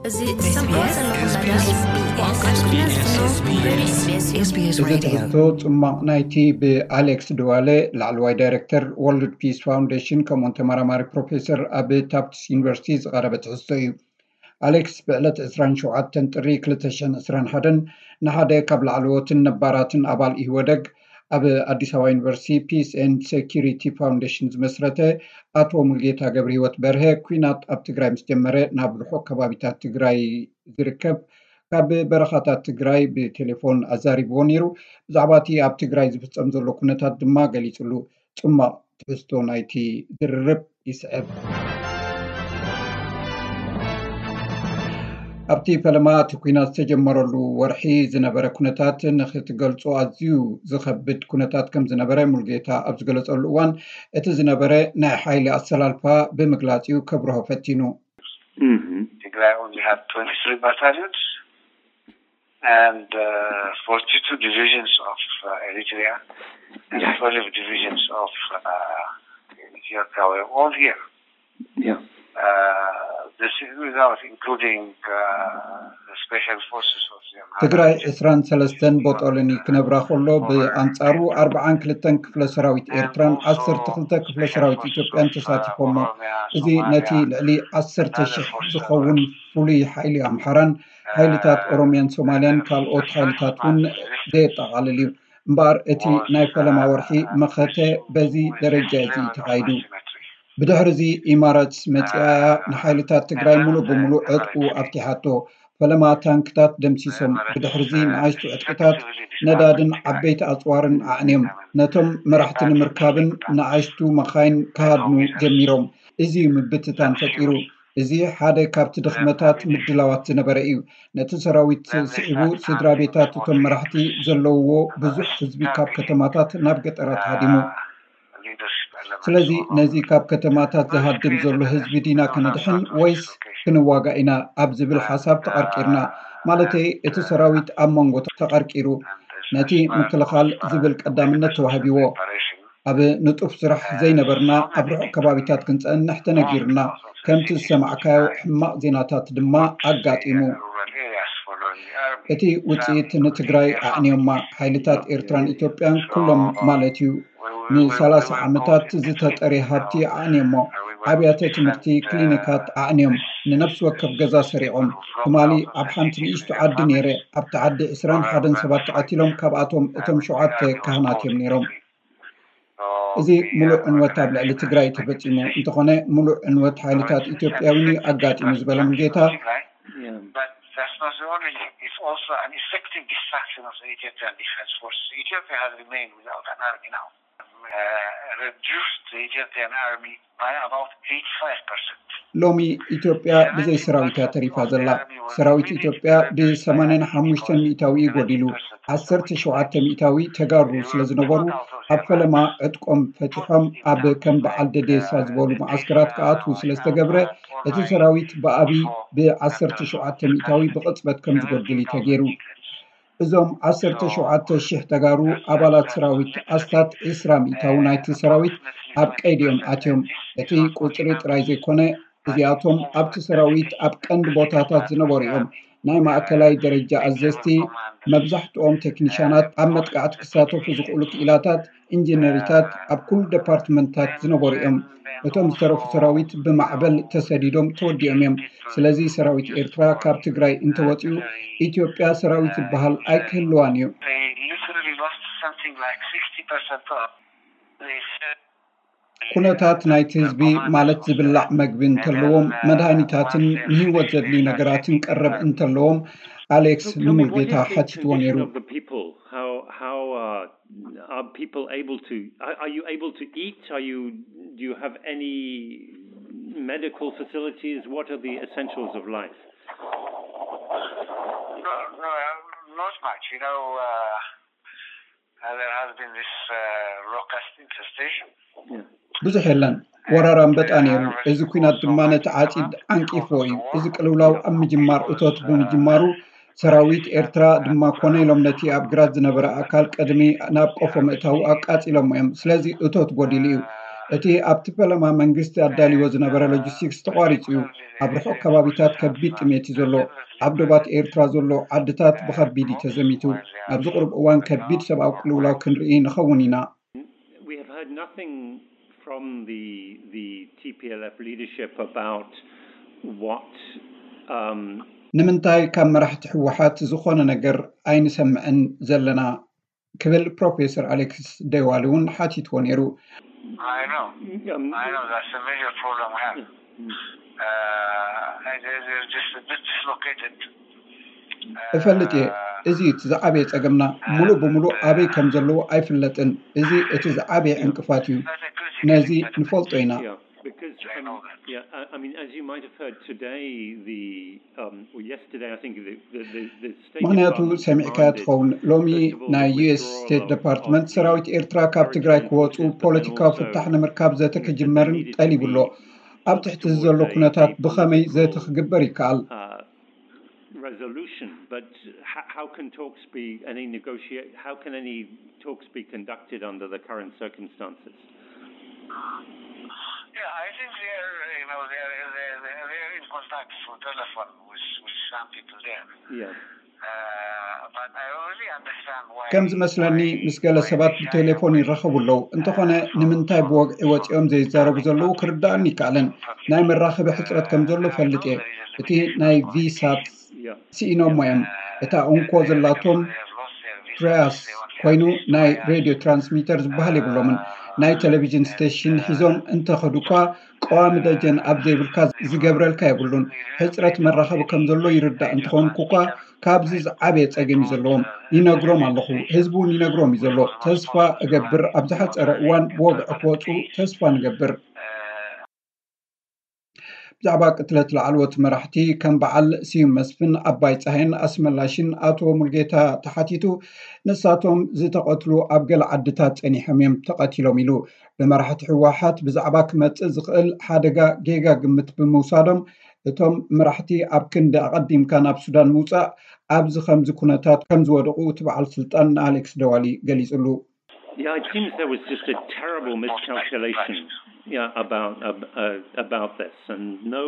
እዚ ትሰምዕዎ ዘለኹም መደብ SBS ትግርኛ ዝፍኖ SBS Radio። እዚ ትሕዝቶ ጽማቕ ናይቲ ብኣሌክስ ድዋለ፣ ላዕለዋይ ዳይረክተር ወርልድ ፒስ ፋውንዴሽን ከምኡውን ተመራማሪ ፕሮፌሰር ኣብ ታፍትስ ዩኒቨርሲቲ ዝቐረበ ትሕዝቶ እዩ። ኣሌክስ ብዕለት ዕስራን ሸውዓተን ጥሪ ክልተ ሽሕን ዕስራን ሓደን ንሓደ ካብ ላዕለዎትን ነባራትን ኣባል ኢህወደግ፣ ኣብ ኣዲስ ኣበባ ዩኒቨርሲቲ ፒስ ኤንድ ሴኪሪቲ ፋውንዴሽን ዝመስረተ ኣቶ ሙልጌታ ገብረህይወት በርሀ፣ ኲናት ኣብ ትግራይ ምስ ጀመረ ናብ ርሑቕ ከባቢታት ትግራይ ዝርከብ ካብ በረኻታት ትግራይ ብቴሌፎን ኣዛሪብዎ ነይሩ። ብዛዕባ እቲ ኣብ ትግራይ ዝፍጸም ዘሎ ኩነታት ድማ ገሊጹሉ። ጽማቕ ትሕዝቶ ናይቲ ዝርርብ ይስዕብ። ኣብቲ ፈለማ እቲ ኲናት ዝተጀመረሉ ወርሒ ዝነበረ ኩነታት ንኽትገልጾ ኣዝዩ ዝኸብድ ኩነታት ከም ዝነበረ ሙልጌታ ኣብ ዝገለጸሉ እዋን፣ እቲ ዝነበረ ናይ ሓይሊ ኣሰላልፋ ብምግላጽ እዩ ከብርሆ ፈቲኑ። Mhm. Tigray only had twenty-three battalions and uh, forty-two divisions of uh, Eritrea and Yeah. twelve divisions of uh, Ethiopia were all here. Yeah. Uh, this is without including uh, the special forces of the Amhara ትግራይ region. ዕስራን ሰለስተን ቦጦሎኒ ክነብራ ከሎ፣ ብኣንጻሩ ኣርብዓን ክልተን ክፍለ ሰራዊት ኤርትራን ዓሰርተ ክልተ ክፍለ ሰራዊት ኢትዮጵያን ተሳቲፎሞ። እዚ ነቲ ልዕሊ ዓሰርተ ሽሕ ዝኸውን ፍሉይ ሓይሊ ኣምሓራን ሓይልታት ኦሮሚያን ሶማልያን ካልኦት ሓይልታት እውን ዘየጠቓልል እዩ። እምበኣር እቲ ናይ ፈለማ ወርሒ መኸተ በዚ ደረጃ እዚ እዩ ተኻይዱ። ብድሕሪ እዚ ኢማራትስ መጺኣ እያ ንሓይልታት ትግራይ ሙሉእ ብሙሉእ ዕጥቁ ኣፍቲሓቶ። ፈለማ ታንክታት ደምሲሶም። ብድሕሪ እዚ ንኣሽቱ ዕጥቅታት ነዳድን ዓበይቲ ኣጽዋርን ኣዕንዮም። ነቶም መራሕቲ ንምርካብን ንኣሽቱ መኻይን ክሃድኑ ጀሚሮም። እዚ እዩ ምብትታን ፈጢሩ። እዚ ሓደ ካብቲ ድኽመታት ምድላዋት ዝነበረ እዩ። ነቲ ሰራዊት ስዒቡ ስድራ ቤታት እቶም መራሕቲ ዘለውዎ ብዙሕ ህዝቢ ካብ ከተማታት ናብ ገጠራት ሃዲሙ። ስለዚ ነዚ ካብ ከተማታት ዝሃድም ዘሎ ህዝቢ ዲና ከነድሕን ወይስ ክንዋጋእ ኢና ኣብ ዝብል ሓሳብ ተቐርቂርና። ማለተይ እቲ ሰራዊት ኣብ መንጎ ተቐርቂሩ። ነቲ ምክልኻል ዝብል ቀዳምነት ተዋሂብዎ። ኣብ ንጡፍ ስራሕ ዘይነበርና ኣብ ርሑቕ ከባቢታት ክንጸንሕ ተነጊሩና። ከምቲ ዝሰማዕካዮ ሕማቕ ዜናታት ድማ ኣጋጢሙ። እቲ ውጽኢት ንትግራይ ኣዕንዮማ። ሓይልታት ኤርትራን ኢትዮጵያን ኩሎም ማለት እዩ ንሰላሳ ዓመታት ዝተጠሬ ሃብቲ ኣዕንዮሞ። ኣብያተ ትምህርቲ፣ ክሊኒካት ኣዕንዮም። ንነፍሲ ወከፍ ገዛ ሰሪቖም። ትማሊ ኣብ ሓንቲ ንእሽቶ ዓዲ ነይረ። ኣብቲ ዓዲ ዕስራን ሓደን ሰባት ተቐቲሎም፣ ካብኣቶም እቶም ሸውዓተ ካህናት እዮም ነይሮም። እዚ ሙሉእ ዕንወት ኣብ ልዕሊ ትግራይ ተፈጺሙ እንተኾነ፣ ሙሉእ ዕንወት ሓይልታት ኢትዮጵያ እውን እዩ ኣጋጢሙ ዝበለ ሙልጌታ፣ Yeah. But that's not the only thing. It's also an effective destruction of the Ethiopian Defense Forces. Ethiopia has remained without an army now. Uh, reduced the Ethiopian army by about eighty-five percent. ሎሚ ኢትዮጵያ ብዘይ ሰራዊት እያ ተሪፋ ዘላ። ሰራዊት ኢትዮጵያ ብ ሰማንያን ሓሙሽተን ሚእታዊ እዩ ጎዲሉ። ዓሰርተ ሸውዓተ ሚእታዊ ተጋሩ ስለ ዝነበሩ፣ ኣብ ፈለማ ዕጥቆም ፈቲሖም ኣብ ከም በዓል ደዴሳ ዝበሉ መዓስከራት ክኣትዉ ስለ ዝተገብረ፣ እቲ ሰራዊት ብኣብይ ብ ዓሰርተ ሸውዓተ ሚእታዊ ብቕጽበት ከም ዝጎድል እዩ ተገይሩ። እዞም ዓሰርተ ሸውዓተ ሽሕ ተጋሩ ኣባላት ሰራዊት፣ ኣስታት ዕስራ ሚእታዊ ናይቲ ሰራዊት ኣብ ቀይዲ እዮም ኣትዮም። እቲ ቁጽሪ ጥራይ ዘይኮነ፣ እዚኣቶም ኣብቲ ሰራዊት ኣብ ቀንዲ ቦታታት ዝነበሩ እዮም። ናይ ማእከላይ ደረጃ ኣዘዝቲ፣ መብዛሕትኦም ቴክኒሻናት፣ ኣብ መጥቃዕቲ ክሳተፉ ዝኽእሉ ክኢላታት፣ ኢንጂነሪታት፣ ኣብ ኩሉ ደፓርትመንታት ዝነበሩ እዮም። እቶም ዝተረፉ ሰራዊት ብማዕበል ተሰዲዶም ተወዲኦም እዮም። ስለዚ ሰራዊት ኤርትራ ካብ ትግራይ እንተወፂኡ፣ ኢትዮጵያ ሰራዊት ዝበሃል ኣይክህልዋን እዩ። They literally lost something like sixty percent of the ኩነታት ናይቲ ህዝቢ፣ ማለት ዝብላዕ መግቢ እንተለዎም፣ መድሃኒታትን ንህይወት ዘድልዩ ነገራትን ቀረብ እንተለዎም፣ ኣሌክስ ንሙልጌታ ሓቲትዎ ነይሩ። Of the people, how how uh, are people able to? Are, are you able to eat? Are you do you have any medical facilities? What are the essentials of life? No, no, not much. You know, uh, uh, there has been this uh, locust infestation. Yeah. ብዙሕ የለን። ወራር ኣንበጣ ነይሩ። እዚ ኲናት ድማ ነቲ ዓጺድ ዓንቂፍዎ እዩ። እዚ ቅልውላው ኣብ ምጅማር እቶት ብምጅማሩ፣ ሰራዊት ኤርትራ ድማ ኮነ ኢሎም ነቲ ኣብ ግራት ዝነበረ ኣካል ቅድሚ ናብ ቆፎ ምእታዉ ኣቃጺሎሞ እዮም። ስለዚ እቶት ጎዲሉ እዩ። እቲ ኣብቲ ፈለማ መንግስቲ ኣዳልዎ ዝነበረ ሎጂስቲክስ ተቋሪጹ እዩ። ኣብ ርሑቕ ከባቢታት ከቢድ ጥሜት እዩ ዘሎ። ኣብ ዶባት ኤርትራ ዘሎ ዓድታት ብኸቢድ እዩ ተዘሚቱ። ኣብዚ ቁሩብ እዋን ከቢድ ሰብኣዊ ቅልውላው ክንርኢ ንኸውን ኢና። We have heard nothing from the the T P L F leadership about what um, ንምንታይ ካብ መራሕቲ ህወሓት ዝኾነ ነገር ኣይንሰምዕን ዘለና? ክብል ፕሮፌሰር ኣሌክስ ደዋሊ እውን ሓቲትዎ ነይሩ። I know. um, I know that's a major problem we have. Uh, they, they're just a bit dislocated. እፈልጥ እየ። እዚ እቲ ዝዓበየ ጸገምና፣ ሙሉእ ብሙሉእ ኣበይ ከም ዘለዎ ኣይፍለጥን። እዚ እቲ ዝዓበየ ዕንቅፋት እዩ። ነዚ ንፈልጦ ኢና። Yeah, because um, yeah, I, I mean, as you might have heard today, the um, or yesterday, I think the the the, the State ምክንያቱ Department ሰሚዕካ demanded, ትኸውን። ሎሚ first of all, ናይ the ዩ ኤስ withdrawal ስቴት of- ዲፓርትመንት of ሰራዊት American ኤርትራ ካብ ትግራይ forces, ክወፁ but then ፖለቲካዊ also ፍታሕ ንምርካብ ዘተ ክጅመርን ጠሊቡ ኣሎ። ኣብ ትሕቲ እዚ ዘሎ ኩነታት ብኸመይ ዘተ ክግበር ይከኣል? uh, resolution, but how, how can talks be any negotiate? How can any talks be conducted under the current circumstances? Yeah, I think they're, you know, they're, they're, they're in contact through telephone with, with some people there. Yeah. Uh, but I don't really understand why. ከም ዝመስለኒ ምስ ገለ ሰባት ብቴሌፎን ይራኸቡ ኣለዉ። እንተኾነ ንምንታይ ብወግዒ ወፂኦም ዘይዛረቡ ዘለዉ ክርዳእኒ ይከኣልን። ናይ መራኸቢ ሕፅረት ከም ዘሎ ፈልጥ እየ። እቲ ናይ ቪሳት Yeah. ስኢኖሞ እዮም። እታ እንኮ ዘላቶም ትራያስ ኮይኑ ናይ ሬድዮ ትራንስሚተር ዝበሃል የብሎምን። ናይ ቴሌቪዥን ስቴሽን ሒዞም እንተኸዱ እኳ ቀዋሚ ደጀን ኣብ ዘይብልካ ዝገብረልካ የብሉን። ሕፅረት መራኸቢ ከም ዘሎ ይርዳእ እንተኾንኩ እኳ ካብዚ ዝዓበየ ፀገም እዩ ዘለዎም። ይነግሮም ኣለኹ። ህዝቢ እውን ይነግሮም እዩ ዘሎ። ተስፋ እገብር ኣብ ዝሓፀረ እዋን ብወግዒ ክወፁ ተስፋ ንገብር። ብዛዕባ ቅትለት ላዕለዎት መራሕቲ ከም በዓል ስዩም መስፍን፣ ኣባይ ፀሃይን ኣስመላሽን ኣቶ ሙልጌታ ተሓቲቱ፣ ንሳቶም ዝተቐትሉ ኣብ ገለ ዓድታት ጸኒሖም እዮም ተቐቲሎም ኢሉ። ብመራሕቲ ህወሓት ብዛዕባ ክመጽእ ዝኽእል ሓደጋ ጌጋ ግምት ብምውሳዶም፣ እቶም መራሕቲ ኣብ ክንዲ ኣቐዲምካ ናብ ሱዳን ምውጻእ ኣብዚ ከምዚ ኩነታት ከም ዝወደቑ እቲ በዓል ስልጣን ንኣሌክስ ደዋሊ ገሊጹሉ። Yeah, it seems there was just a terrible miscalculation. Yeah, about uh, uh, about this, and no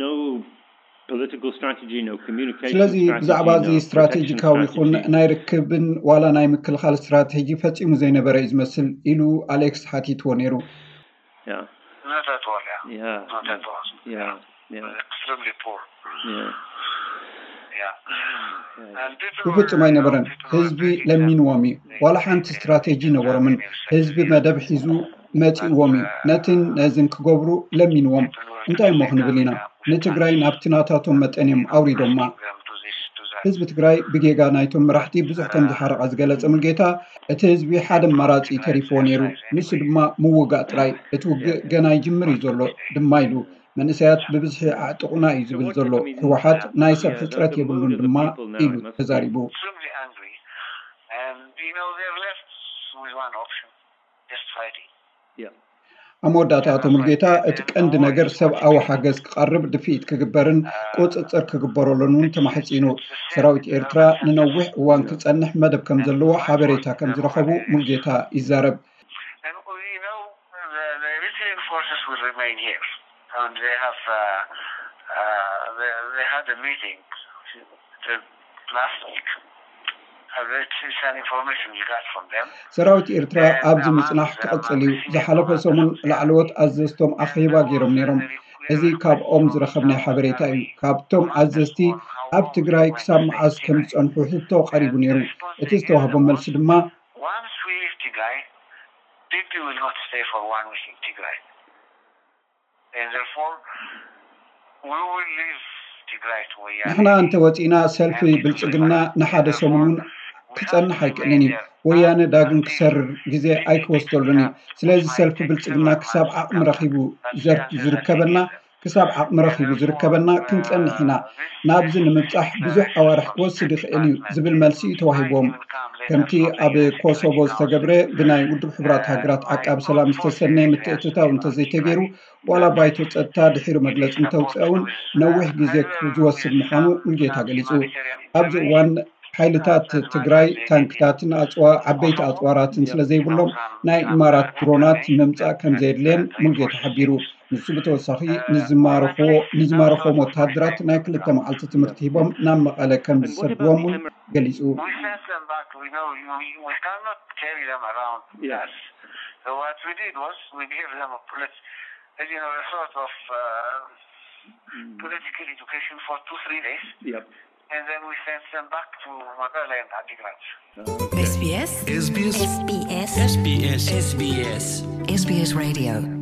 no political strategy, no communication ስለዚ strategy, ብዛዕባ እዚ no ስትራቴጂካዊ protection ይኹን strategy. ናይ ርክብን ዋላ ናይ ምክልኻል ስትራቴጂ ፈጺሙ ዘይነበረ እዩ ዝመስል ኢሉ ኣሌክስ ሓቲትዎ ነይሩ። Yeah, Not at all, yeah. yeah, Not at all. Yeah, yeah, Extremely poor. Yeah. Yeah. Yeah. And people ብፍጹም were, ኣይነበረን። people were ህዝቢ begging ለሚንዎም እዩ። them. ዋላ ሓንቲ ስትራቴጂ ነበሮምን። ህዝቢ መደብ ሒዙ መጺእዎም እዩ። ነትን ነዝን ክገብሩ ለሚንዎም። እንታይ እሞ ክንብል ኢና? ንትግራይ ናብቲ ናታቶም መጠን እዮም ኣውሪዶማ። ህዝቢ ትግራይ ብጌጋ ናይቶም መራሕቲ ብዙሕ ከም ዝሓረቐ ዝገለጸ ሙልጌታ፣ እቲ ህዝቢ ሓደ ኣማራጺ ተሪፍዎ ነይሩ። ንሱ ድማ ምውጋእ ጥራይ። እቲ ውግእ ገና ይጅምር እዩ ዘሎ ድማ ኢሉ። መንእሰያት ብብዝሒ ኣዕጥቑና እዩ ዝብል ዘሎ ህወሓት። ናይ ሰብ ሕፅረት የብሉን ድማ ኢሉ ተዛሪቡ። Extremely angry. And, you know, they're left with one option, just fighting. ኣብ መወዳእታ ኣቶ ሙልጌታ እቲ ቀንዲ ነገር ሰብኣዊ ሓገዝ ክቐርብ ድፍኢት ክግበርን ቁፅፅር ክግበረሉን እውን ተማሕፂኑ። ሰራዊት ኤርትራ ንነዊሕ እዋን ክፀንሕ መደብ ከም ዘለዎ ሓበሬታ ከም ዝረኸቡ ሙልጌታ ይዛረብ። And we know the, the Eritrean forces will remain here. And they have, uh, uh, they, they had a meeting the last week. Uh, it's, it's an information we got from them. ሰራዊት ኤርትራ ኣብዚ ምጽናሕ ክቕጽል እዩ። ዝሓለፈ ሰሙን ላዕለዎት ኣዘዝቶም ኣኼባ ገይሮም ነይሮም። እዚ ካብኦም ዝረኸብናዮ ሓበሬታ እዩ። ካብቶም ኣዘዝቲ ኣብ ትግራይ ክሳብ መዓስ ከም ዝጸንሑ ሕቶ ቀሪቡ ነይሩ። እቲ ዝተዋህቦም መልሲ ድማ Once we leave Tigray, Bibi will not stay for one week in Tigray. And therefore, we will leave Tigray to Wayane. ንሕና እንተወፂእና ሰልፊ ብልፅግና ንሓደ ሰሙን እውን ክፀንሕ ኣይክእልን እዩ። ወያነ ዳግም ክሰርር ግዜ ኣይክወስደሉን እዩ። ስለዚ ሰልፊ ብልፅግና ክሳብ ዓቕሚ ረኺቡ ዘር- ዝርከበና ክሳብ ዓቕሚ ረኺቡ ዝርከበና ክንፀንሕ ኢና። ናብዚ ንምብፃሕ ብዙሕ ኣዋርሕ ክወስድ ይኽእል እዩ ዝብል መልሲ እዩ ተዋሂቦም። ከምቲ ኣብ ኮሶቮ ዝተገብረ ብናይ ውድብ ሕቡራት ሃገራት ዓቃቢ ሰላም ዝተሰነየ ምትእትታው እንተዘይተገይሩ ዋላ ባይቶ ጸጥታ ድሒሩ መግለጺ እንተውፅአ እውን ነዊሕ ግዜ ዝወስድ ምዃኑ ሙልጌታ ገሊጹ። ኣብዚ እዋን ሓይልታት ትግራይ ታንክታትን ኣፅዋ ዓበይቲ ኣፅዋራትን ስለ ዘይብሎም ናይ ኢማራት ድሮናት ምምፃእ ከም ዘየድልየን ሙልጌታ ሓቢሩ። ንሱ ብተወሳኺ ንዝማረኽዎ ንዝማረኽዎም ወታደራት ናይ ክልተ መዓልቲ ትምህርቲ ሂቦም ናብ መቐለ ከም ዝሰድዎም እውን ገሊፁ። We sent them back. We know you, you, we cannot carry them around. Yes. So what we did was we gave them a polit- you know, a sort of uh, political education for two, three days, Yep. And then we sent them back to Mekelle and Adigrat. SBS SBS SBS SBS SBS SBS Radio